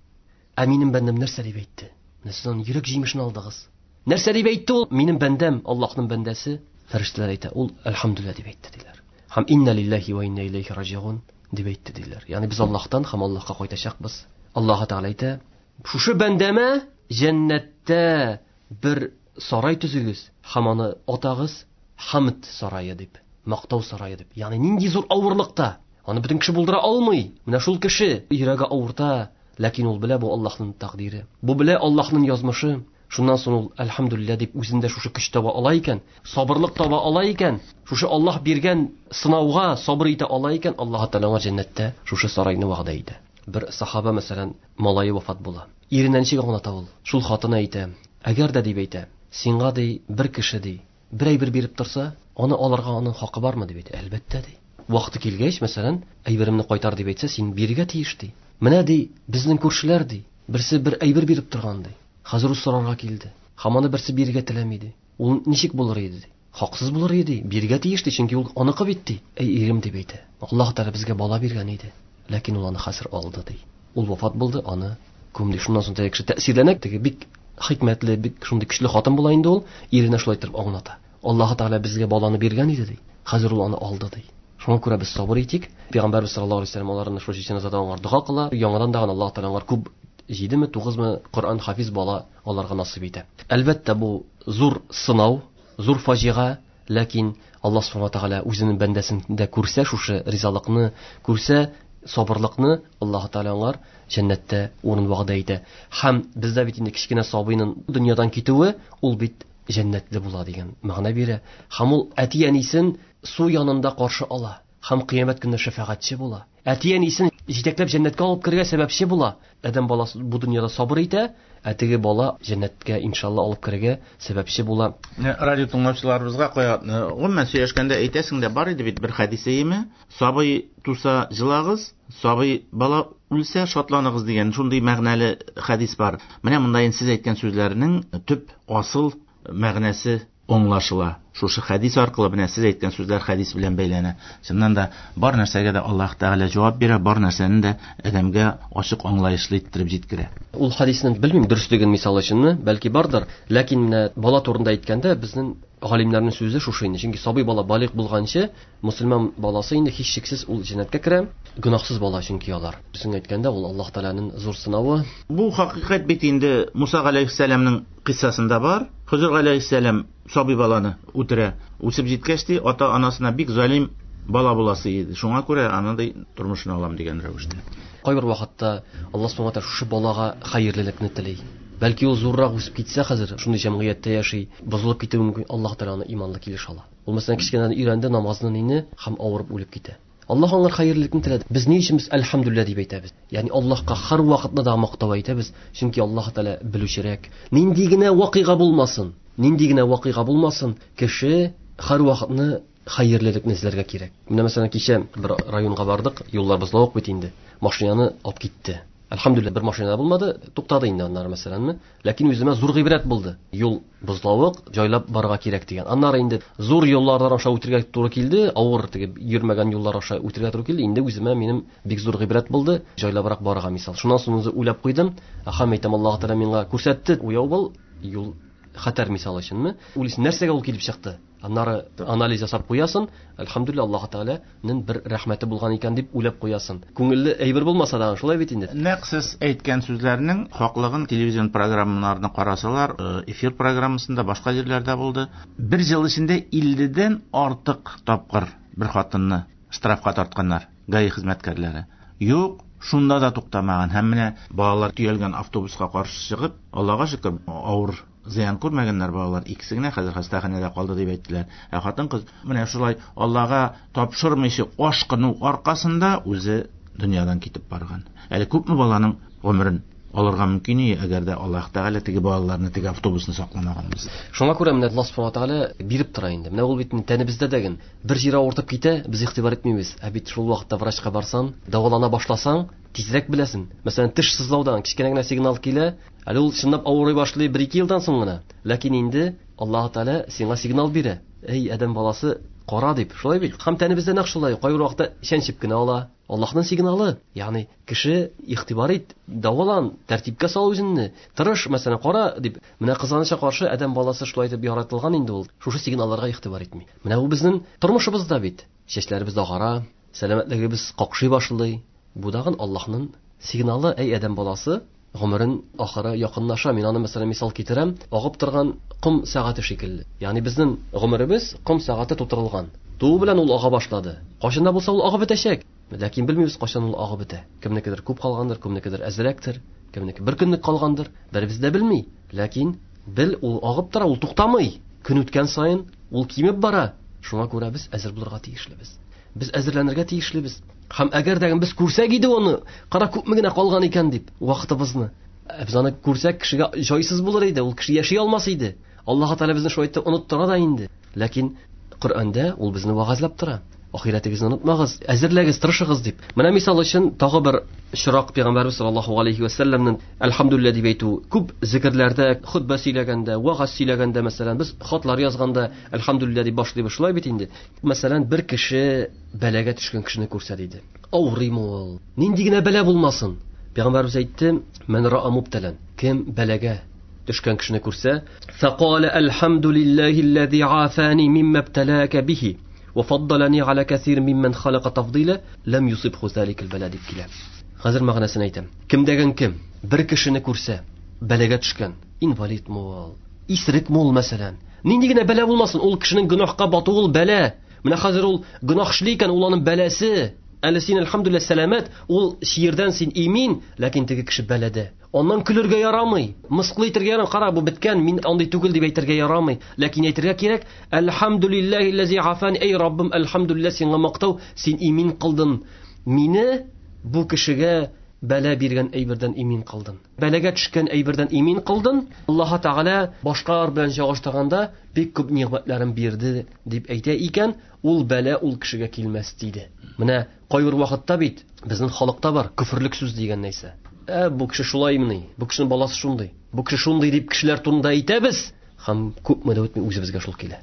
Ә минем бәндәм нәрсә дип әйтте? Менә сез аның йөрәк җимешен алдыгыз. Нәрсә дип әйтте ул? Минем бәндәм, Аллаһның бәндәсе. Фәрештәләр әйтә, ул әлхәмдүлилләһ дип әйтте диләр. Һәм инна лиллаһи ва инна иләйһи раҗиун дип әйтте диләр. Ягъни без Аллаһтан һәм Аллаһка кайтачакбыз. Аллаһ Тәгалә әйтә, шушы бәндәмә җәннәттә бер сарай төзегез һәм аны атагыз Хамд сарае дип, мактау сарае дип. Ягъни нинди зур авырлыкта, аны бөтен кеше булдыра алмый. Менә шул кеше йөрәге авырта, ләкин ул белә бу Аллаһның тәкъдире. Бу белә Аллаһның язмышы. Шуннан соң ул әлхәмдүлилләһ дип үзендә шушы көч таба ала икән, сабырлык таба ала икән, шушы Аллаһ биргән сынауга сабыр итә ала икән, Аллаһ Тәгалә аңа җәннәттә шушы сарайны вәгъдә итә. Бер сахаба, мәсәлән, малае вафат була. Иренә ничек аңлата ул? Шул хатыны әйтә: Әгәр дә дип әйтә, сиңа ди бер кеше ди, бер әйбер биреп торса, аны алырга аның хакы бармы дип әйтә. Әлбәттә ди. Вакыты килгәч, мәсәлән, әйберемне кайтар дип әйтсә, син бирергә тиеш ди. Менә ди, безнең күршеләр ди, берсе бер әйбер биреп торган ди. Хәзер ул сорарга килде. Һәм аны берсе бирергә теләми ди. Ул ничек булыр иде ди? Хаксыз булыр иде, бирергә тиеш ди, чөнки ул аныкы бит ди. Әй ирем дип әйтә. Аллаһ Тәгалә безгә бала биргән иде, ләкин ул аны хәзер алды ди. Ул вафат булды, аны күмде. Шуннан соң теге кеше тәэсирләнә, теге бик хикмәтле, бик шундый көчле хатын була инде ул, иренә шулай итеп аңлата. Аллаһ Тәгалә безгә баланы биргән иде ди. Хәзер ул аны алды ди. Шуңа күрә без сабыр итик. Пәйгамбәрбез саллаллаһу алейһи ва сәлләм аларны шушы җеназада аңар дога кыла. Яңадан да Аллаһ Тәгалә аңар күп 7-ме, 9-мы Коръән хафиз бала аларга насыйп итә. Әлбәттә, бу зур сынау, зур фаҗига, ләкин Аллаһ субхана тәгалә үзенең бәндәсендә күрсә шушы ризалыкны, күрсә сабырлыкны, Аллаһ Тәгалә аңар җәннәттә урын вәгъдә итә. Һәм бездә бит инде кечкенә сабыйның дөньядан китүе, ул бит җәннәтле була дигән мәгънә бирә. Һәм ул әти-әнисен су янында каршы ала. Һәм кыямәт көнендә шәфәгатьче була. Әти-әнисен җитәкләп җәннәткә алып керергә сәбәпче була. Адәм баласы бу дөньяда сабыр итә, ә теге бала җәннәткә иншалла алып керергә сәбәпче була. Радио тыңлаучыларыбызга кая, гомумән сөйләшкәндә әйтәсең дә бар иде бит бер хәдисеме? Сабый туса җылагыз, сабый бала үлсә шатланыгыз дигән шундый мәгънәле хәдис бар. Менә монда инде сез әйткән сүзләрнең төп асыл мәгънәсе аңлашыла. Шушы хәдис аркылы менә сез әйткән сүзләр хәдис белән бәйләнә. Чыннан да бар нәрсәгә дә Аллаһ Тәгалә җавап бирә, бар нәрсәне дә адәмгә ачык аңлаешлы иттереп җиткерә. Ул хәдиснең белмим дөреслеген мисал өченме, бәлки бардыр, ләкин менә бала турында әйткәндә безнең галимнәрнең сүзе шушы инде. Чөнки сабый бала балигъ булганчы, мөселман баласы инде һичшиксез ул җәннәткә керә, гөнаһсыз бала чөнки алар. Дөресен әйткәндә, ул Аллаһ Тәгаләнең зур сынавы. Бу хакыйкать бит инде Муса галәйһиссәламнең кыйссасында бар. Хызыр галәйһиссәлам сабый баланы үтерә. Үсеп җиткәч ди, ата-анасына бик залим бала буласы иде. Шуңа күрә аны ди тормышын алам дигән рәвештә. Кайбер вакытта Аллаһ субхана тәгалә шушы балага хәерлелекне тели. Бәлки ул зуррак үсеп китсә, хәзер шундый җәмгыятьтә яши, бозылып китүе мөмкин. Аллаһ Тәгалә аны иманлы килеш ала. Ул мәсәлән кечкенәдән өйрәнде намазны нине һәм авырып үлеп китә. Аллаһ аңар хәерлелекне теләде. Без ни өчен без әлхәмдүлилләһ дип әйтәбез? Ягъни Аллаһка һәр вакытны да мактау әйтәбез, чөнки Аллаһ Тәгалә белүчерәк. Нинди генә вакыйга булмасын, нинди генә вакыйга булмасын, кеше һәр вакытны хәерлелекне эзләргә кирәк. Менә мәсәлән кичә бер районга бардык, юллар бозлавык бит инде. Машинаны алып китте. Әлхәмдүлилләһ, бер машина булмады, туктады инде аннары мәсәләнме. Ләкин үземә зур гыйбрәт булды. Юл бозлавык, җайлап барырга кирәк дигән. Аннары инде зур юллардан аша үтергә туры килде, авыр теге йөрмәгән юллар аша үтергә туры килде. Инде үземә минем бик зур гыйбрәт булды, җайлабрак барырга мисал. Шуннан соң үзе уйлап куйдым. Аха, әйтәм, Аллаһ Тәгалә миңа күрсәтте, уяу бул, юл хәтәр мисал өченме? Уйлыйсың, нәрсәгә ул килеп чыкты? Аннары анализ ясап куясың, әлхәмдүлилләһ, Аллаһ Тәгаләнең бер рәхмәте булган икән дип уйлап куясың. Күңелле әйбер булмаса да, шулай бит инде. Нәкъ сез әйткән сүзләрнең хаклыгын телевизион программаларны карасалар, эфир программасында, башка җирләрдә булды. Бер ел эчендә 50-дән артык тапкыр бер хатынны штрафка тартканнар ГАИ хезмәткәрләре. Юк, шунда да туктамаган. Һәм менә балалар төялгән автобуска каршы чыгып, Аллага шөкер, авыр зыян күрмәгәннәр балалар, икесе генә хәзер хастаханәдә калды дип әйттеләр. Ә хатын-кыз менә шулай Аллага тапшырмыйча ашкыну аркасында үзе дөньядан китеп барган. Әле күпме баланың гомерен алырга мөмкин, әгәр дә Аллаһ Тәгалә теге балаларны, теге автобусны сакламаган булса. Шуңа күрә менә Аллаһ Субхану Тәгалә биреп тора инде. Менә ул бит тәнебездә дәген бер җире авыртып китә, без игътибар итмибез. Ә бит шул вакытта врачка барсаң, дәвалана башласаң, тизрәк беләсең. Мәсәлән, теш сызлаудан кечкенә генә сигнал килә, әле ул чынлап авырый башлый 1-2 елдан соң гына. Ләкин инде Аллаһ Тәгалә сиңа сигнал бирә. Эй, адәм баласы, кара дип. Шулай бит. Һәм тәнебездә нәкъ шулай. Кайбер вакытта чәнчеп кенә ала. Аллаһның сигналы. Ягъни кеше игътибар ит, дәвалан, тәртипкә сал үзеңне, тырыш, мәсәлән, кара дип. Менә кызганычка каршы адәм баласы шулай итеп яратылган инде ул. Шушы сигналларга игътибар итми. Менә бу безнең тормышыбызда бит. Чәчләребез агара, сәламәтлегебез какшый башлый. Бу дагын Аллаһның сигналы, әй адәм баласы, гомерен ахыры якынлаша. Мин аны мәсәлән мисал китерәм, агып торган ком сәгате шикелле. Ягъни безнең гомеребез ком сәгате тутырылган. Туу белән ул ага башлады. Кайчан да булса ул агып бетәчәк. Ләкин белмибез кайчан ул агып бетә. Кемнекедер күп калгандыр, кемнекедер әзрәктер, кемнеке бер көнлек калгандыр, беребез дә белми. Ләкин бел, ул агып тора, ул туктамый. Көн үткән саен ул кимеп бара. Шуңа күрә без әзер булырга тиешлебез. Без әзерләнергә тиешлебез. Һәм әгәр дә без күрсәк иде аны, кара күпме генә калган икән дип, вакытыбызны. Без аны күрсәк, кешегә җайсыз булыр иде, ул кеше яши алмас иде. Аллаһ Тәгалә безне шулай итеп оныттыра да инде. Ләкин Коръәндә ул безне вәгазьләп тора. Ахирәтегезне онытмагыз, әзерләгез, тырышыгыз дип. Менә мисал өчен тагы бер очрак Пәйгамбәрбез саллаллаһу алейхи ва сәлләмнең әлхәмдүлилләһ дип әйтү. Күп зикерләрдә, хөтбә сөйләгәндә, вәгазь сөйләгәндә, мәсәлән, без хатлар язганда әлхәмдүлилләһ дип башлыйбыз, шулай бит инде. Мәсәлән, бер кеше бәлагә төшкән кешене күрсә диде. Авырыймы ул? Нинди генә бәла булмасын. Пәйгамбәрбез әйтте: "Мән ра'a мубталан." Кем бәлагә төшкән кешене күрсә, фақала әлхәмдүлилләһи аллази афани мимма ибталака бихи ва фаддалани ала касир мимман халака тафдила лам юсибху заликал бала дип килә. Хәзер мәгънәсен әйтәм. Кем дәген кем бер кешене күрсә, бәлагә төшкән, инвалид ул, исерек ул, мәсәлән, нинди генә бәла булмасын, ул кешенең гөнаһка батуы ул бәла. Менә хәзер ул гөнаһ эшли икән, ул аның бәласе. Әле син әлхәмдүлилләһ сәламәт, ул чирдән син имин, ләкин теге кеше бәләдә. Аннан көлергә ярамый, мыскыл итәргә ярамый. Кара, бу беткән, мин андый түгел дип әйтергә ярамый. Ләкин әйтергә кирәк, әлхәмдүлилләһи аллази афани, эй Раббым, әлхәмдүлилләһ, сиңа мактау, син имин кылдың мине, бу кешегә бәла биргән әйбердән имин кылдың. Бәлагә төшкән әйбердән имин кылдың. Аллаһ Тәгалә башкалар белән чагыштырганда бик күп нигъмәтләрен бирде дип әйтә икән, ул бәла ул кешегә килмәс диде. Менә кайбер вакытта бит безнең халыкта бар күферлек сүз дигән нәрсә. Бу кеше шулаймыни? Бу кешенең баласы шундый. Бу кеше шундый дип кешеләр турында әйтәбез, һәм күпме дә үтми үзебезгә шул килә.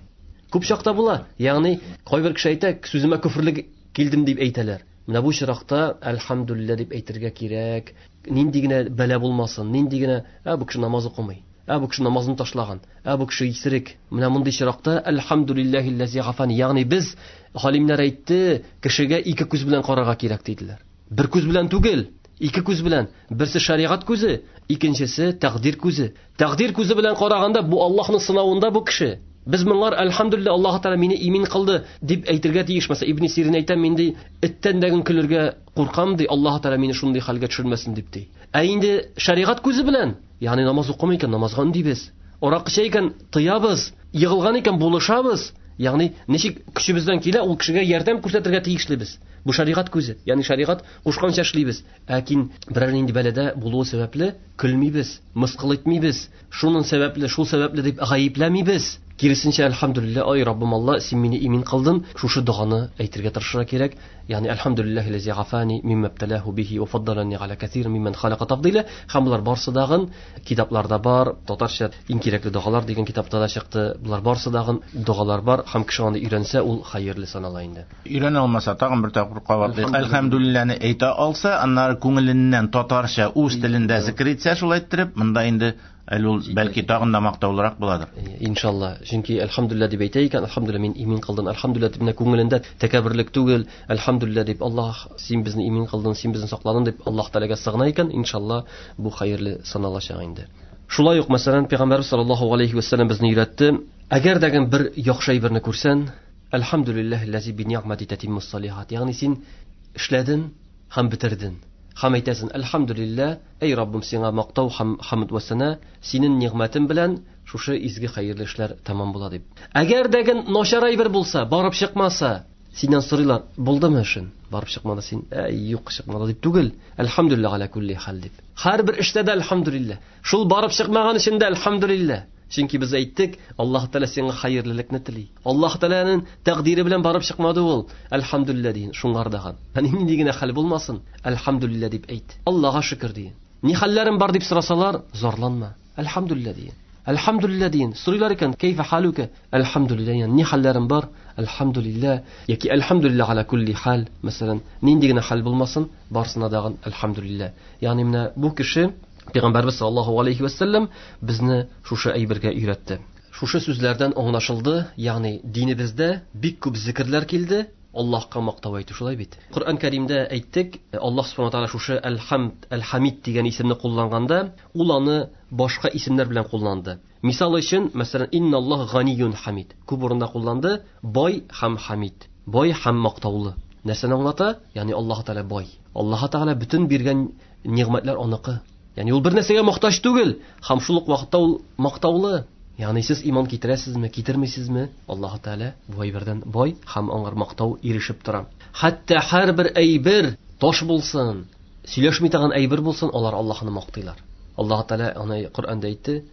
Күп чакта була. Ягъни кайбер кеше әйтә, сүземә күферлек килдем дип әйтәләр. Менә бу очракта әлхәмдүлилләһ дип әйтергә кирәк. Нинди генә бәла булмасын, нинди генә, бу кеше намаз укымый, бу кеше намазын ташлаган, бу кеше исерек. Менә мондый очракта әлхәмдүлилләһи аллази гафани, ягъни без галимнәр әйтте, кешегә ике күз белән карарга кирәк диделәр. Бер күз белән түгел, ике күз белән. Берсе шәригать күзе, икенчесе тәкъдир күзе. Тәкъдир күзе белән караганда бу Аллаһның сынавында бу кеше. Без моңар әлхәмдүлилләһ Аллаһ Тәгалә мине имин кылды дип әйтергә тиеш. Мәсәлән, Ибн Сирин әйтә, мин ди эттән дә көлергә куркам ди, Аллаһ Тәгалә мине шундый хәлгә төшермәсен дип ди. Ә инде шәригать күзе белән, ягъни намаз укымый икән, намазга өндибез. Аракы эчә икән, тыябыз. Егылган икән, булышабыз. Ягъни ничек көчебездән килә, ул кешегә ярдәм күрсәтергә тиешлебез. Бу шәригать күзе, ягъни шәригать кушканча эшлибез. Ләкин берәр нинди бәладә булуы сәбәпле көлмибез, мыскыл итмибез. Шуның сәбәпле, шул сәбәпле дип гаепләмибез. Киресенчә, әлхәмдүлилләһ, ай Раббым Алла, син мине имин кылдың. Шушы доганы әйтергә тырышырга кирәк. Ягъни әлхәмдүлилләһи аллази афани мимма ибталаху бихи ва фаддалани аля касир мимман халака тафдила. Һәм булар барсы дагын китапларда бар, татарча иң кирәкле догалар дигән китапта да чыкты. Булар барсы дагын догалар бар һәм кеше аны өйрәнсә, ул хәерле санала инде. Өйрәнә алмаса, тагын бер тапкыр кабатлыйк. Әлхәмдүлилләһне әйтә алса, аннары күңеленнән татарча үз телендә зикр итсә, шулай иттереп, монда инде әле ул бәлки тагын да мактаулырак буладыр. Иншалла. Чөнки әлхәмдүлилләһ дип әйтә икән, әлхәмдүлилләһ мин имин кылдым, әлхәмдүлилләһ дип менә күңелендә тәкәбберлек түгел, әлхәмдүлилләһ дип Аллаһ син безне имин кылдың, син безне сакладың дип Аллаһ Тәгаләгә сыгына икән, иншалла бу хәерле саналачак инде. Шулай ук, мәсәлән, Пәйгамбәрбез саллаллаһу алейхи ва сәлләм безне өйрәтте, әгәр дә бер яхшы әйберне күрсәң, әлхәмдүлилләһ аллази би ни'мати татиммус салихат, ягъни син эшләдең һәм бетердең. Һәм әйтәсең, әлхәмдүлилләһ, эй Раббым, сиңа мактау һәм хамд вә сана, синең нигъмәтең белән шушы изге хәерле эшләр тәмам була дип. Әгәр дә начар әйбер булса, барып чыкмаса, синнән сорыйлар, булдымы эшең? Барып чыкмады син, юк чыкмады дип түгел, әлхәмдүлилләһ аля кулли хәл дип. Һәрбер эштә дә әлхәмдүлилләһ. Шул барып чыкмаган өчен дә әлхәмдүлилләһ. Чөнки без әйттек, Аллаһ Тәгалә сиңа хәерлелекне тели. Аллаһ Тәгаләнең тәкъдире белән барып чыкмады ул. Әлхәмдүлилләһ дин, шуңардаган. Һәм нинди генә хәл булмасын, әлхәмдүлилләһ дип әйт. Аллаһка шөкер дин. Ни хәлләрем бар дип сорасалар, зарланма. Әлхәмдүлилләһ дин. Әлхәмдүлилләһ дин. Сорыйлар икән, кәйфә халука? Әлхәмдүлилләһ, ягъни ни хәлләрем бар? Әлхәмдүлилләһ яки әлхәмдүлилләһ аля кулли хәл, мәсәлән, нинди генә хәл булмасын, барсына дагын әлхәмдүлилләһ. Ягъни менә бу кеше Пәйгамбәрбез саллаллаһу алейхи ва сәлләм безне шушы әйбергә өйрәтте. Шушы сүзләрдән аңлашылды, ягъни динебездә бик күп зикерләр килде, Аллаһка мактау әйтү шулай бит. Коръән Кәримдә әйттек, Аллаһ субхана тааля шушы Әл-Хамд, Әл-Хамид дигән исемне кулланганда, ул аны башка исемнәр белән кулланды. Мисал өчен, мәсәлән, инналлаһ ганиюн хамид. Күп урында кулланды, бай һәм хамид. Бай һәм мактаулы. Нәрсәне аңлата? Ягъни Аллаһ Тааля бай. Аллаһ Тааля бөтен биргән нигъмәтләр аныкы. Ягъни ул бер нәрсәгә мохтаҗ түгел, һәм шул ук вакытта ул мактаулы. Ягъни сез иман китерәсезме, китермисезме? Аллаһ Тааля бу әйбердән бай һәм аңар мактау ирешеп тора. Хәтта һәрбер әйбер таш булсын, сөйләшми торган әйбер булсын, алар Аллаһны мактыйлар. Аллаһ Тәгалә аны Коръәндә әйтте,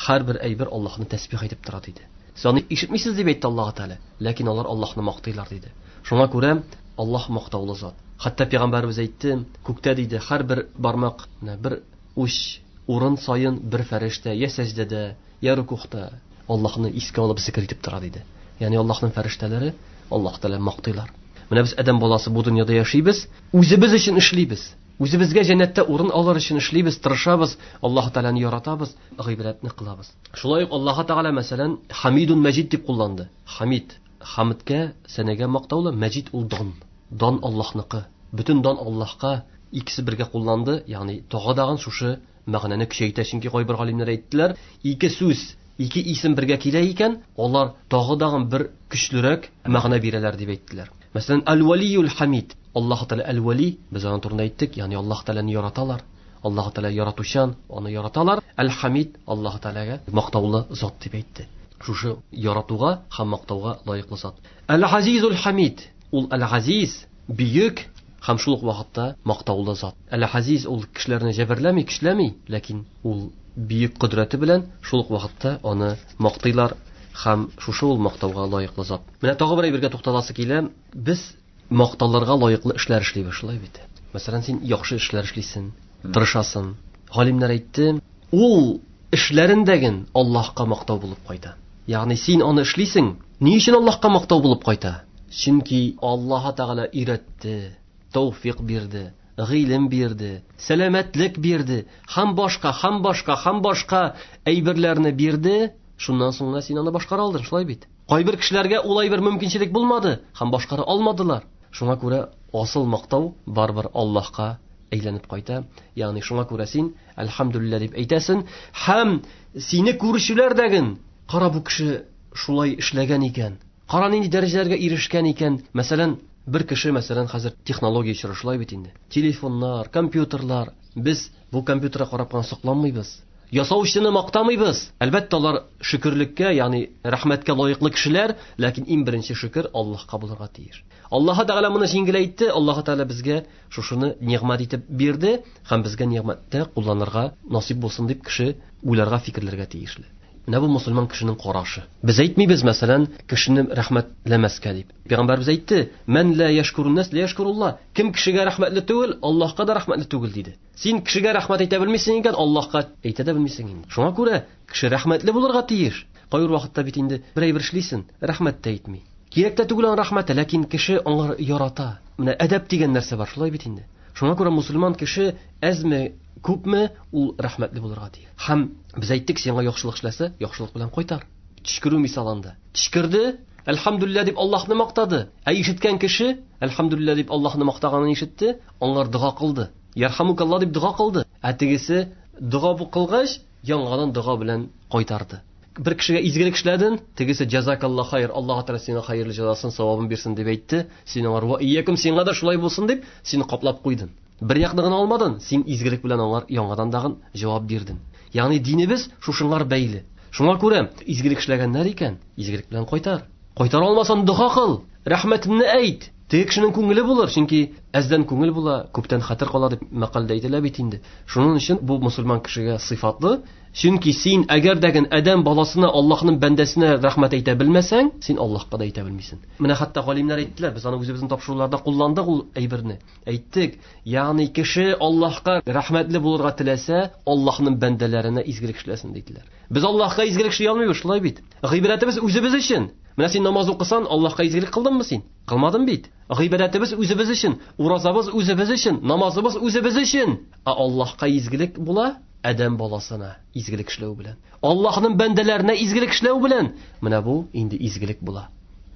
һәрбер әйбер Аллаһны тәсбих әйтеп тора диде. Сез аны ишетмисез дип әйтте Аллаһ Тәгалә, ләкин алар Аллаһны мактыйлар диде. Шуңа күрә Аллаһ мактаулы зат. Хәтта пәйгамбәребез әйтте, күктә диде, һәрбер бармак, менә бер уч урын саен бер фәрештә я сәҗдәдә, я рукухта Аллаһны искә алып зикр итеп тора диде. Ягъни Аллаһның фәрештәләре Аллаһ Тәгалә мактыйлар. Менә без адәм баласы бу дөньяда яшибез, үзебез өчен эшлибез. Үзебезгә җәннәттә урын алыр өчен эшлибез, тырышабыз, Аллаһ Тәгаләне яратабыз, гыйбадәтне кылабыз. Шулай ук Аллаһ Тәгалә мәсәлән Хамидун Мәҗид дип кулланды. Хамид, хамдка, сәнәгә мактаулы, Мәҗид ул дан. Дан Аллаһныкы. Бөтен дан Аллаһка икесе бергә кулланды, ягъни тагы дагын шушы мәгънәне көчәйтә, чөнки кайбер галимнәр әйттеләр, ике сүз, ике исем бергә килә икән, алар тагы дагын бер көчлерәк мәгънә бирәләр дип әйттеләр. Мәсәлән, Әл-Валиюл Хамид. Аллаһ Тәгалә Әл-Вали, без аның турында әйттек, ягъни Аллаһ Тәгаләне яраталар. Аллаһ Тәгалә яратучан, аны яраталар. Әл-Хамид Аллаһ Тәгаләгә мактаулы зат дип әйтте. Шушы яратуга һәм мактауга лаеклы зат. Әл-Азизул Хамид. Ул Әл-Азиз, бөек һәм шул ук вакытта мактаулы зат. Әл-Азиз ул кешеләрне җәберләми, көчләми, ләкин ул бөек кодрәте белән шул ук вакытта аны мактыйлар һәм шушы ул мактауга лаеклы зат. Менә тагы бер әйбергә тукталасы килә. Без макталырга лаеклы эшләр эшлибез, шулай бит. Мәсәлән, син яхшы эшләр эшлисең, тырышасың. Галимнәр әйтте, ул эшләрендәген Аллаһка мактау булып кайта. Ягъни син аны эшлисең, ни өчен Аллаһка мактау булып кайта? Чөнки Аллаһ Тәгалә өйрәтте, тәүфик бирде, гыйлем бирде, сәламәтлек бирде, һәм башка, һәм башка, һәм башка әйберләрне бирде. Шуннан соң гына син аны башкара алдың, шулай бит. Кайбер кешеләргә ул әйбер мөмкинчелек булмады һәм башкара алмадылар. Шуңа күрә асыл мактау барыбер Аллаһка әйләнеп кайта. Ягъни шуңа күрә син әлхәмдүлилләһ дип әйтәсең һәм сине күрүчеләр дәген, кара бу кеше шулай эшләгән икән, кара нинди дәрәҗәләргә ирешкән икән. Мәсәлән, бер кеше, мәсәлән, хәзер технология чоры шулай бит инде. Телефоннар, компьютерлар. Без бу компьютерга карап кына сокланмыйбыз. Ясаучыны мактамыйбыз. Әлбәттә, алар шөкерлеккә, ягъни рәхмәткә лаеклы кешеләр, ләкин иң беренче шөкер Аллаһка булырга тиеш. Аллаһ Тәгалә моны җиңеләйтте, Аллаһ Тәгалә безгә шушыны нигъмәт итеп бирде һәм безгә нигъмәттә кулланырга насыйп булсын дип кеше уйларга, фикерләргә тиешле. Менә бу мусульман кешенең карашы. Без әйтмибез, мәсәлән, кешене рәхмәтләмәскә дип. Пәйгамбәрбез әйтте, "Мән ла яшкурун нас ла яшкурулла". Кем кешегә рәхмәтле түгел, Аллаһка да рәхмәтле түгел диде. Син кешегә рәхмәт әйтә белмисең икән, Аллаһка әйтә дә белмисең инде. Шуңа күрә кеше рәхмәтле булырга тиеш. Кайбер вакытта бит инде бер әйбер эшлисең, рәхмәт тә әйтми. Кирәк тә түгел аның рәхмәте, ләкин кеше аңар ярата. Менә әдәп дигән нәрсә бар, шулай бит инде. Шуңа күрә мусульман кеше әзме, күпме ул рәхмәтле булырга тиеш. Һәм без әйттек, сиңа яхшылык эшләсә, яхшылык белән кайтар. Төчкерү мисалында. Төчкерде, әлхәмдүлилләһ дип Аллаһны мактады. Ә ишеткән кеше, әлхәмдүлилләһ дип Аллаһны мактаганын ишетте, аңар дога кылды. Ярхамукаллаһ дип дога кылды. Ә тегесе дога кылгач, яңадан дога белән кайтарды. Бер кешегә изгелек эшләдең, тегесе җазакаллаһ хайр, Аллаһ Тәгалә сиңа хәерле җәзасын, савабын бирсен дип әйтте. Син аңар ва иякум, сиңа да шулай булсын дип, сине каплап куйдың. Бер якны гына алмадың, син изгелек белән аңар яңадан дагын җавап бирдең. Ягъни динебез шушыңар бәйле. Шуңа күрә изгелек эшләгәннәр икән, изгелек белән кайтар. Кайтара алмасаң дога кыл, рәхмәтеңне әйт. Теге кешенең күңеле булыр, чөнки әздән күңел була, күптән хәтер кала дип мәкальдә әйтелә бит инде. Шуның өчен бу мусульман кешегә сыйфатлы. Чөнки син әгәр дәген адәм баласына, Аллаһның бәндәсенә рәхмәт әйтә белмәсәң, син Аллаһка да әйтә белмисең. Менә хәтта галимнәр әйттеләр, без аны үзебезнең тапшыруларда кулландык ул әйберне. Әйттек, ягъни кеше Аллаһка рәхмәтле булырга теләсә, Аллаһның бәндәләренә изгелек эшләсен диделәр. Без Аллаһка изгелек эшли алмыйбыз, шулай бит. Гыйбадәтебез үзебез өчен. Менә син намаз укысан, Аллаһка изгелек кылдыңмы син? Кылмадың бит. Гыйбадәтебез үзебез өчен, уразабыз үзебез өчен, намазыбыз үзебез өчен. Ә Аллаһка изгелек була адәм баласына изгелек эшләү белән. Аллаһның бәндәләренә изгелек эшләү белән. Менә бу инде изгелек була.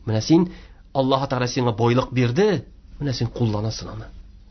Менә син Аллаһ Тәгалә сиңа байлык бирде, менә син кулланасың аны.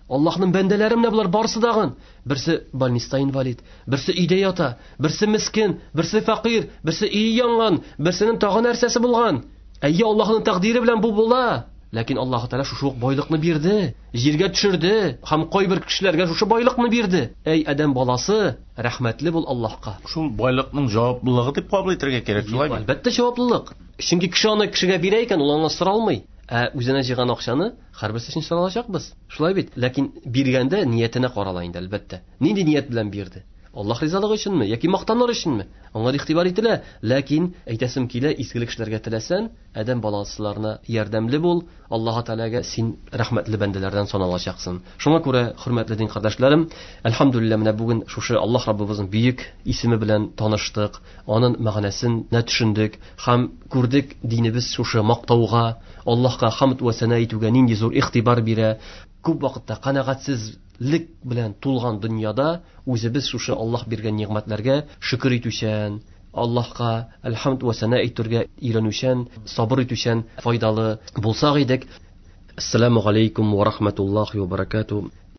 Аллаһның бәндәләре менә болар барысы дагын. Берсе больниста инвалид, берсе өйдә ята, берсе мискен, берсе фәкыйрь, берсе өе янган, берсенең тагы нәрсәсе булган. Әйе, Аллаһның тәкъдире белән бу була. Ләкин Аллаһ Тәгалә шушы ук байлыкны бирде, җиргә төшерде һәм кайбер кешеләргә шушы байлыкны бирде. Әй адәм баласы, рәхмәтле бул Аллаһка. Шул байлыкның җаваплылыгы дип кабул итәргә кирәк, шулай бит? Әлбәттә җаваплылык. Чөнки кеше аны кешегә бирә икән, ул аңа сора алмый. Ә үзенә җыйган акчаны һәрберсе өчен сора алачакбыз. Шулай бит? Ләкин биргәндә ниятенә карала инде, әлбәттә. Нинди ният белән бирде? Аллаһ ризалыгы өченме яки мактаныр өченме? Аңа игътибар ителә, ләкин әйтәсем килә, изгелек эшләргә теләсән, адәм баласыларына ярдәмле бул, Аллаһ Тәгаләгә син рәхмәтле бәндәләрдән саналачаксың. Шуңа күрә, хөрмәтле дин кардәшләрем, әлхәмдүлилләһ, менә бүген шушы Аллаһ Раббыбызның бөек исеме белән таныштык, аның мәгънәсен нә төшендек һәм күрдек динебез шушы мактауга, Аллаһка хамд вә сәна итүгә нинди зур игътибар бирә. Күп вакытта канәгатьсезлек белән тулган дөньяда үзебез шушы Аллаһ биргән нигъмәтләргә шөкер итүчән, Аллаһка әлхәмд вә сәна әйтергә өйрәнүчән, сабыр итүчән файдалы булсак идек. Ассаламу алейкум ва рахматуллахи ва баракату.